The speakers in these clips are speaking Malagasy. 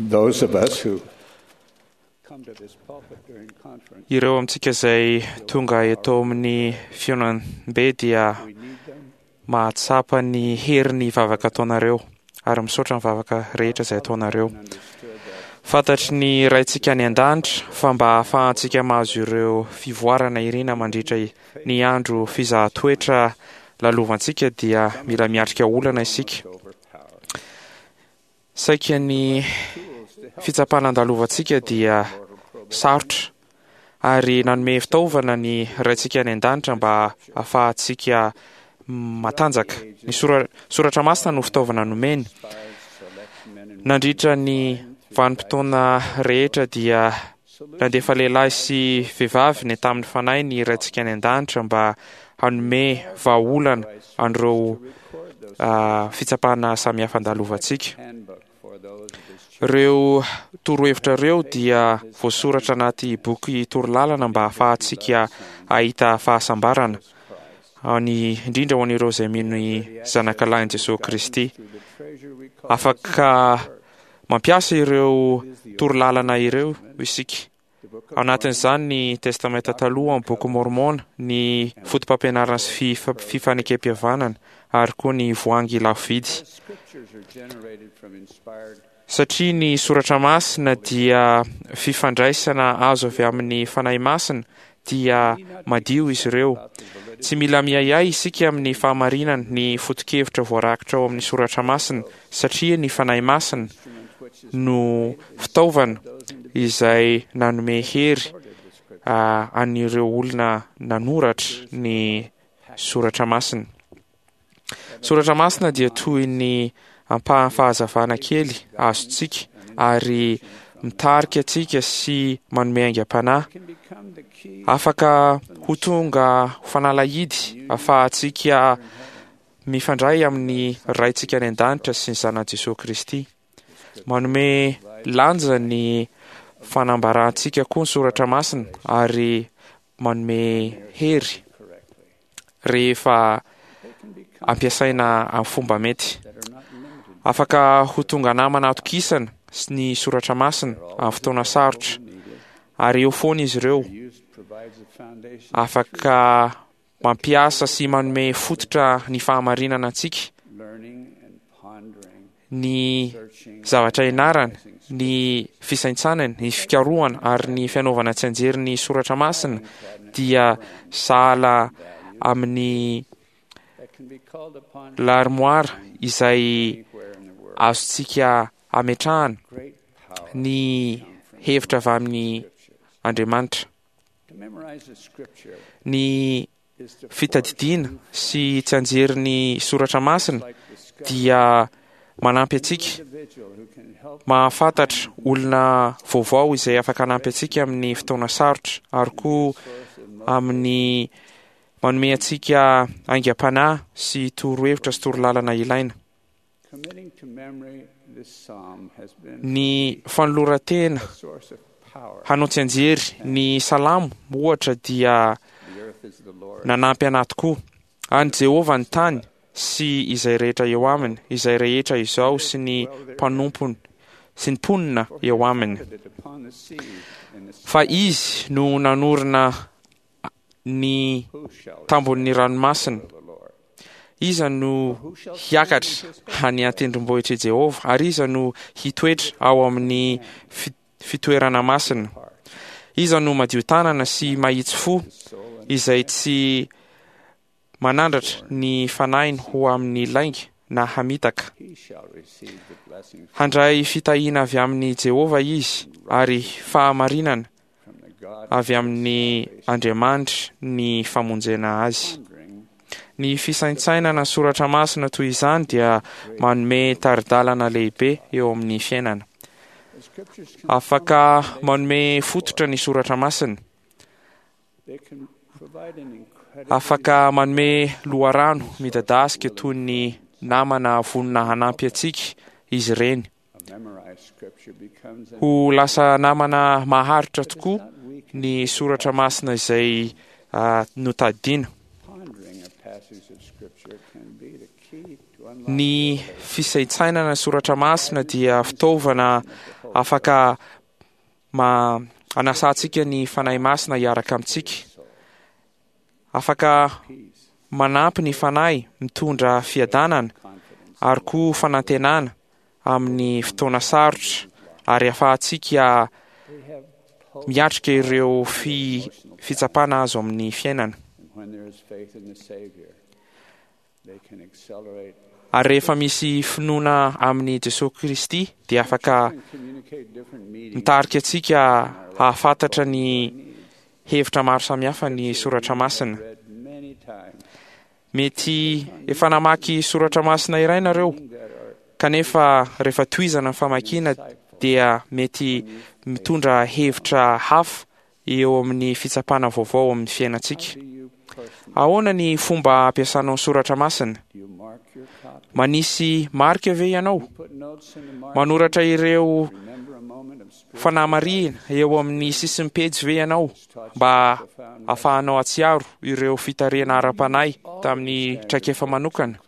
Those of us who come to this pulpit during conference, Ireo amintsika izay tonga eto amin'ny fihaonambe dia we need them. mahatsapa ny herin'ny vavaka ataonareo ary misaotra ny vavaka rehetra izay ataonareo. Understood that Fantatry ny Raintsika any an-danitra fa mba ahafahantsika mahazo ireo fivoarana irina mandritra ny andro fizahan-toetra lalovantsika dia mila miatrika olana isika. overpower. Saika ny Tools to help fitsapana andalovantsika dia sarotra ary nanome fitaovana ny Raintsika any an-danitra mba ahafahantsika matanjaka. Ny sora- soratra masina no fitaovana nomeny. inspired select men and Nandritra ny vanim-potoana rehetra dia nandefa lehilahy sy vehivavy ny tamin'ny fanahy ny Raintsika any an-danitra mba hanome vahaolana an'ireo record those fitsapana samihafa andalovantsika. handbook for those of his children. Ireo torohevitra ireo dia voasoratra anaty boky torolalana mba ahafahantsika hahita fahasambarana, any indrindra ho an'ireo izay mino ny zanakalahin'i Jesosy Kristy. Through the treasure we call Afaka mampiasa ireo torolalana ireo isika. the Book of Ao anatin'izany ny Testamenta Taloha, ny Boky Mormona, ny foto-pampianarana sy fifanekem-pihavanana ary koa ny voahangy lafo vidy. The scriptures are generated from inspired Satria ny soratra masina dia fifandraisana azo avy amin'ny fanahy masina dia madio izy ireo. Tsy mila miahiahy isika amin'ny fahamarinana ny foto-kevitra voarakitra ao amin'ny soratra masina satria ny fanahy masina instrument which is no fitaovana izay nanome hery recorded the scripture. an'ireo olona nanoratra ny soratra masina. Soratra masina dia toy ny ampahan'ny fahazavana kely azontsika ary mitarika antsika sy manome aingam-panahy. Can become the key Afaka ho tonga ho fanalahidy ahafahantsika mifandray amin'ny Raintsika any an-danitra sy ny zanan'i Jesosy Kristy. Manome lanja ny fanambarantsika koa ny soratra masina ary manome hery correctly. rehefa They can become ampiasaina amin'ny fomba mety. that are not limited Afaka ho tonga namana atokisana sy ny soratra masina amin'ny fotoana sarotra needed. ary eo foana izy ireo. Their use provides a foundation Afaka mampiasa sy manome fototra ny fahamarinana antsika, learning and pondering, ny searching, zavatra ianarana, ny fisaintsanana, ny fikarohana ary ny fianaovana tsianjery ny soratra masina dia sahala amin'ny that can be called upon larmoara izay anywhere in the world. azontsika ametrahana Great power ny hevitra avy amin'ny scriptures. Andriamanitra. To memorize the scripture Ny is to fitadidiana sy tsianjery ny soratra masina like discover dia manampy antsika individual who can help mahafantatra olona vaovao izay afaka hanampy antsika amin'ny fotoana sarotra ary koa source of amin'ny manome antsika aingam-panahy sy torohevitra sy torolalana ilaina. committing to memory this psalm has been Ny fanoloran-tena a source of power. hanao tsianjery ny salamo ohatra dia The earth is the Lord's. nanampy anahy tokoa. An'i Jehovah ny tany sy izay rehetra eo aminy, izay rehetra izao sy ny mpanompony sy ny mponina eo aminy. Put it upon the seas and the Fa izy no nanorina ny who shall tambon'ny ranomasina. the Lord? Iza no hiakatra any an-tendrombohitr'i Jehovah ary iza no hitoetra ao amin'ny fitoerana masina? Iza no madio tanana sy mahitsy fo Soul and izay tsy manandratra ny fanahiny ho amin'ny lainga na hamitaka. he shall receive the blessing Handray fitahiana avy amin'i Jehovah izy ary fahamarinana from the God avy amin'ny Andriamanitra ny famonjena azy. pondering Ny fisaintsainana soratra masina toy izany dia manome tari-dalana lehibe eo amin'ny fiainana. the scriptures can Afaka manome fototra ny soratra masina. they can provide an incredible Afaka manome loharano midadasika toy ny namana vonona hanampy antsika izy ireny. a memorized scripture becomes an Ho lasa namana maharitra tokoa not weak ny soratra masina izay notadidiana. pondering a passage of scripture can be the key to unlock Ny fisaintsainana soratra masina dia fitaovana Afaka ma anasantsika ny Fanahy Masina hiaraka amintsika. Afaka manampy ny Fanahy mitondra fiadanana ary koa fanantenana amin'ny fotoana sarotra ary ahafahantsika miatrika ireo fi, fitsapana azo amin'ny fiainana. Ary rehefa misy finoana amin'i Jesoa Kristy dia afaka mitarika antsika hahafantatra ny hevitra maro samihafa ny soratra masina. Mety efa namaky soratra masina iray nareo, kanefa rehefa tohizana ny famakiana dia mety mitondra hevitra hafa eo amin'ny fitsapana vaovao amin'ny fiainantsika. Ahoana ny fomba ampiasanao ny soratra masina? Manisy marika ve ianao? Manoratra ireo fanamarihina eo amin'ny sisin'ny pejy ve ianao mba hahafahanao hahatsiaro ireo fitarihana ara-panahy tamin'ny traikefa manokana?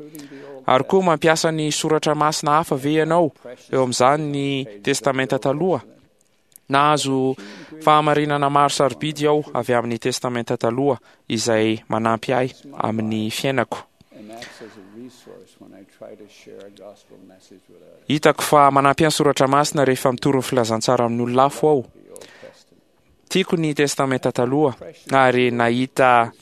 Ary koa mampiasa ny soratra masina hafa ve ianao eo amin'izany ny Testamenta Taloha? Nahazo fahamarinana maro sarobidy aho avy amin'ny Testamenta Taloha izay manampy ahy amin'ny fiainako. Hitako fa manampy ahy ny Soratra Masina rehefa mitory ny filazantsara amin'ny olona hafa aho. Tiako ny Testamenta Taloha ary nahita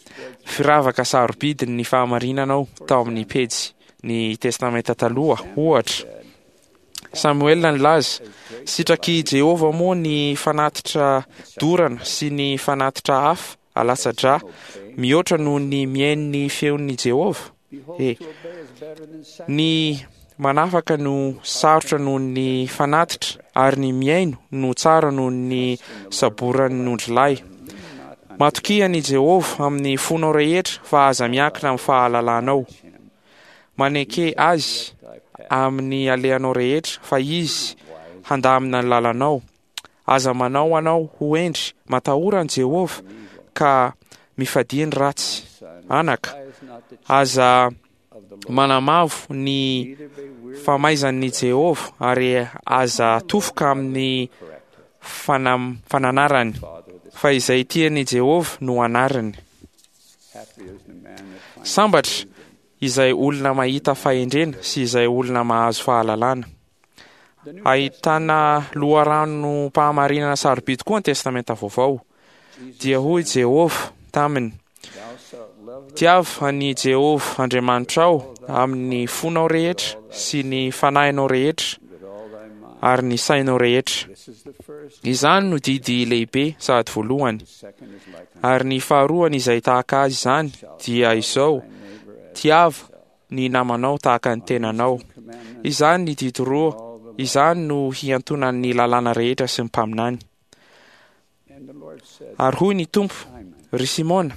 firavaka sarobidy ny fahamarinana aho tao amin'ny pejy ny Testamenta Taloha, ohatra. Samoela nilaza, Sitrak'i Jehovah moa ny fanatitra dorana sy ny fanatitra hafa alatsa-drà mihoatra noho ny mihaino ny feon'i Jehovah? E! Ny manafaka no sarotra noho ny fanatitra, ary ny mihaino no tsara noho ny saboran'ny ondrilahy. Matokia an'i Jehovah amin'ny fonao rehetra, fa aza miankina amin'ny fahalalanao. Maneke Azy amin'ny alehanao rehetra, fa Izy handamina ny lalanao. Aza manao anao ho hendry, matahora an'i Jehovah, ka mifadia ny ratsy. Anaka, aza manamavo ny famaizan'i Jehovah, ary aza tofoka amin'ny fananarany, fa izay tian'i Jehovah no anariny. Sambatra izay olona mahita fahendrena sy izay olona mahazo fahalalana. Ahitana loharanom-pahamarinana sarobidy koa ny Testamenta Vaovao. Dia hoy Jehovah taminy, Tiavo an'i Jehovah Andriamanitrao amin'ny fonao rehetra sy ny fanahinao rehetra ary ny sainao rehetra. Izany no didy lehibe sady voalohany. Ary ny faharoany izay tahaka azy izany dia izao, Tiava ny namanao tahaka ny tenanao. Izany ny didy roa, izany no hiantonan'ny lalàna rehetra sy ny mpaminany. Ary hoy ny Tompo, Ry Simona,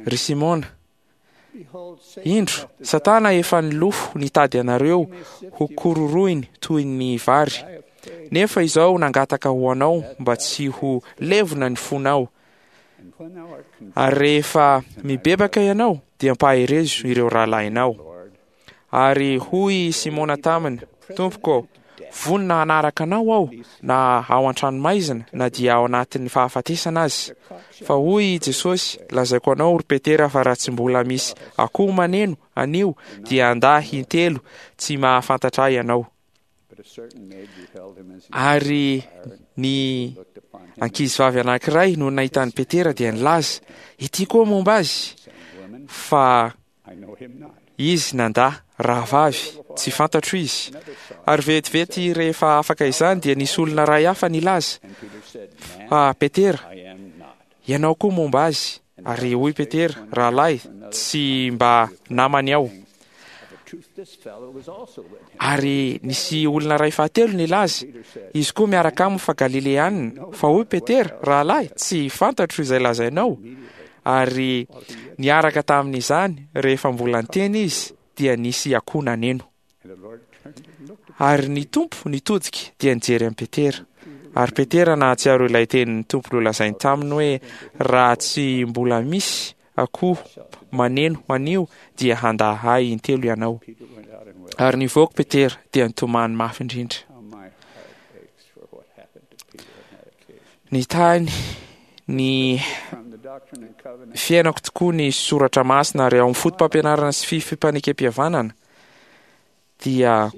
ry Simona, Indro, Satana efa nilofo nitady anareo ho kororohiny toy ny vary. Nefa izao nangataka ho anao mba tsy ho levona ny fonao. Ary rehefa mibebaka ianao, dia ampaherezo ireo rahalahinao. Ary hoy i Simona taminy, Tompoko, vonona hanaraka anao aho, na ao an-tranomaizina, na dia ao anatin'ny fahafatesana aza. Fa hoy i Jesosy, Lazaiko anao, ry Petera, fa raha tsy mbola misy akoho maneno anio, dia handà intelo tsy mahafantatra ahy ianao. Ary ny ankizivavy anankiray no nahita an'i Petera dia nilaza, Ity koa momba azy! Fa Izy nandà, Rahavavy, tsy fantatro izy. Ary vetivety rehefa afaka izany dia nisy olona iray hafa nilaza, Fa Petera, ianao koa momba azy. Ary hoy Petera, Rahalahy, tsy mba namany aho. Ary nisy olona iray fahatelo nilaza, Izy koa miaraka aminy fa Galileanina. Fa hoy Petera, Rahalahy, tsy fantatro izay lazainao. Ary niaraka tamin'izany, rehefa mbola niteny izy, dia nisy akoho naneno. Ary ny Tompo nitodika dia nijery an'i Petera. Ary Petera nahatsiaro ilay tenin'ny Tompo nolazainy taminy hoe, Raha tsy mbola misy akoho maneno anio dia handà ahy intelo ianao. Ary nivoaka Petera dia nitomany mafy indrindra. Nitahy ny fiainako tokoa ny soratra masina ary ao amin'ny fotopampianarana sy fifampihavanana dia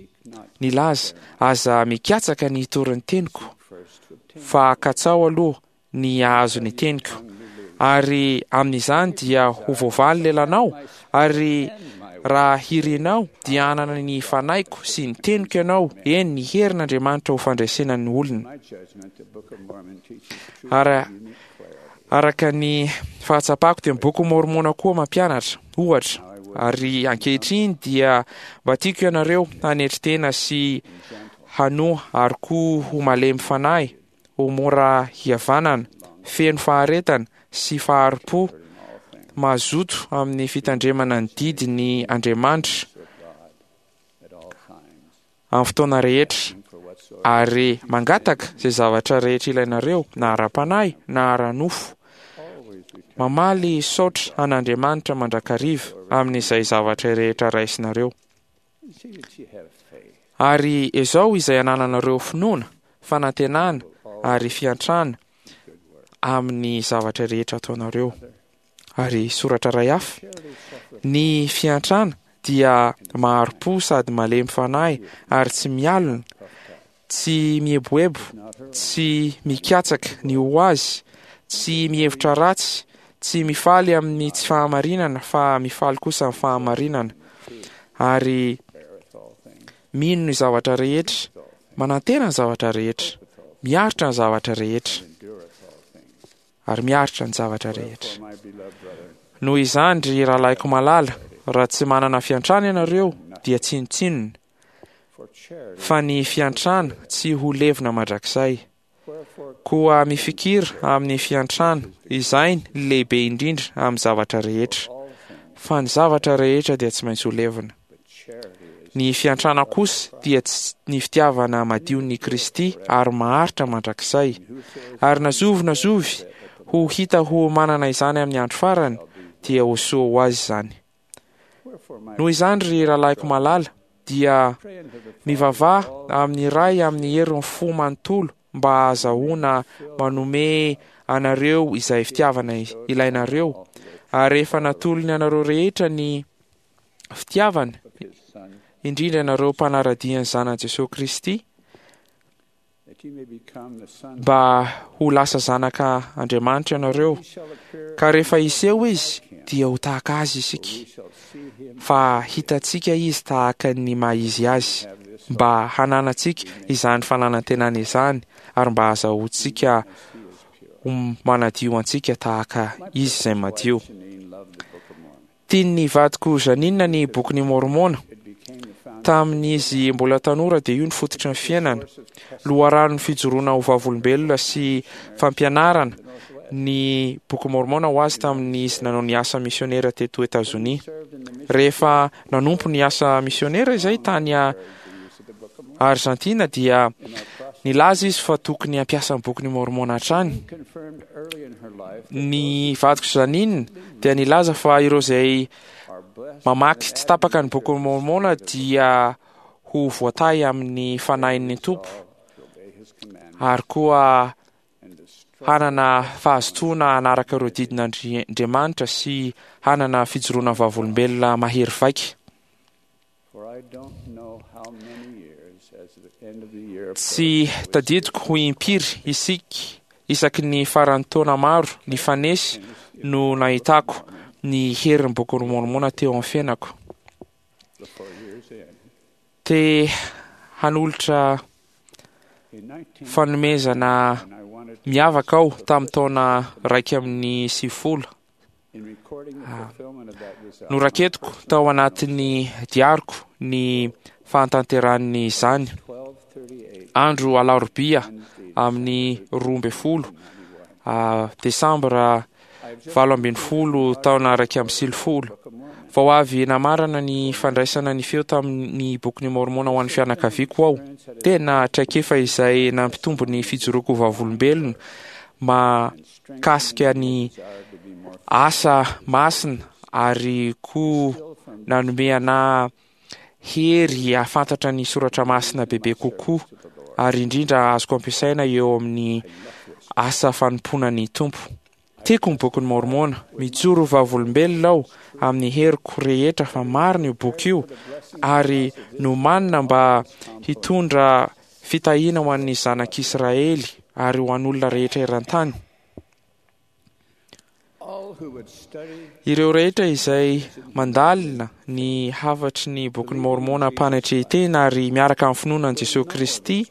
nilaza, Aza mikatsaka ny hitory ny teniko, fa katsaho aloha ny hahazo ny teniko, ary amin'izany dia ho voavaly lelanao, ary raha hirinao dia hanana ny fanahiko sy ny teniko ianao, eny, ny herin'Andriamanitra ho fandresena ny olona. Ary araka ny fahatsapako dia ny Bokin'i Môrmôna koa mampianatra, ohatra, ary ankehitriny dia mba tiako ianareo hanetry tena sy hanoa ary koa ho malemy fanahy, ho mora hihavanana, feno faharetana sy fahari-po, mazoto amin'ny fitandremana ny didin' Andriamanitra amin'ny fotoana rehetra, ary mangataka izay zavatra rehetra ilainareo na ara-panahy na ara-nofo. Mamaly saotra an'Andriamanitra mandrakariva amin'izay zavatra rehetra raisinareo. Ary ezao izay anananareo finoana, fanantenana ary fiantrana amin'ny zavatra rehetra ataonareo. Ary soratra iray hafa, Ny fiantrana dia mahari-po sady malemy fanahy ary tsy mialona, tsy mieboebo, tsy mikatsaka ny ho azy, tsy mihevitra ratsy, tsy mifaly amin'ny tsy fahamarinana fa mifaly kosa amin'ny fahamarinana, ary mino ny zavatra rehetra, manantena ny zavatra rehetra, miaritra ny zavatra rehetra. Ary miaritra ny zavatra rehetra. Noho izany, ry rahalahiko malala, raha tsy manana fiantrana ianareo, dia tsinontsinona, fa ny fiantrana tsy ho levona mandrakizay. Koa mifikira amin'ny fiantrana, izay ny lehibe indrindra amin'ny zavatra rehetra. Fa ny zavatra rehetra dia tsy maintsy ho levona. Ny fiantrana kosa dia ny fitiavana madion'i Kristy ary maharitra mandrakizay. Ary na zovy na zovy ho hita ho manana izany amin'ny andro farany, dia ho soa ho azy izany. Noho izany, ry rahalahiko malala, dia mivavaha amin'ny Ray amin'ny herin'ny fo manontolo mba hahazahoana manome anareo izay fitiavana ilainareo, ary rehefa natolony anareo rehetra ny fitiavany, indrindra ianareo mpanara-dia ny Zanany Jesoa Kristy, mba ho lasa zanaka Andriamanitra ianareo, ka rehefa hiseho Izy dia ho tahaka Azy isika, fa hitantsika Izy tahaka ny maha Izy Azy, mba hananantsika izany fananantenana izany ary mba hahazahoantsika ho manadio antsika tahaka Izy izay madio. Tian'ny vadiko Janine ny Bokin'i Môrmôna. Tamin'izy mbola tanora dia io no fototry ny fiainana. Loharanon'ny fijoroana ho vavolombelona sy fampianarana ny Bokin'i Môrmôna ho azy tamin'izy nanao ny asa misionera teto Etazonia. Rehefa nanompo ny asa misionera izay tany Arzantina dia nilaza izy fa tokony hampiasa ny Bokin'i Môrmôna hatrany. Ny vadiko Janine dia nilaza fa ireo izay mamaky tsy tapaka ny Bokin'i Môrmôna dia ho voatahy amin'ny Fanahin'ny Tompo ary koa hanana fahazotoana hanaraka ireo didin'Andriamanitra sy hanana fijoroana vavolombelona mahery vaika. Tsy tadidiko ho impiry isika isaky ny faran'ny taona maro nifanesy no nahitako ny herin'ny Bokin'i Môrmôna teo amin'ny fiainako. Te hanolotra fanomezana miavaka aho tamin'ny taona 91. Noraketiko tao anatin'ny diariko ny fahatanterahan'izany. Andro alarobia amin'ny 12 desambra 18 taona 91. Vao avy namarana ny fandraisana ny feo tamin'ny Bokin'i Môrmôna ho an'ny fianakaviako aho. Tena traikefa izay nampitombo ny fijoroako ho vavolombelona mahakasika ny asa masina ary koa nanome anà hery hahafantatra ny soratra masina bebe kokoa ary indrindra azoko ampiasaina eo amin'ny asa fanompoana ny Tompo. Tiako ny Bokin'i Môrmôna. Mijoro ho vavolombelona aho amin'ny heriko rehetra fa marina io boky io ary nomanina mba hitondra fitahiana ho an'ny zanak'Israely ary ho an'olona rehetra eran-tany. Ireo rehetra izay mandalina ny hafatry ny Bokin'i Môrmôna am-panetren-tena ary miaraka amin'ny finoana an'i Jesoa Kristy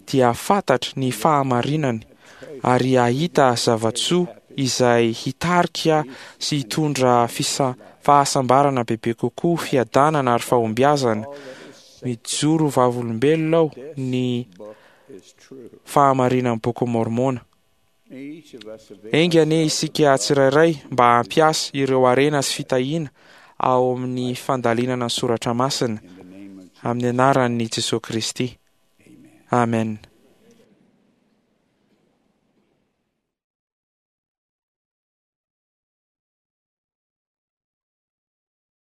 dia hahafantatra ny fahamarinany ary hahita zava-tsoa izay hitarika sy hitondra fahasambarana bebe kokoa, fiadanana ary fahombiazana. Mijoro vavolombelona aho ny fahamarinan'ny Bokin'i Môrmôna. Enga anie isika tsirairay mba hampiasa ireo harena sy fitahiana ao amin'ny fandalinana ny soratra masina, amin'ny anaran'i Jesoa Kristy. Amen.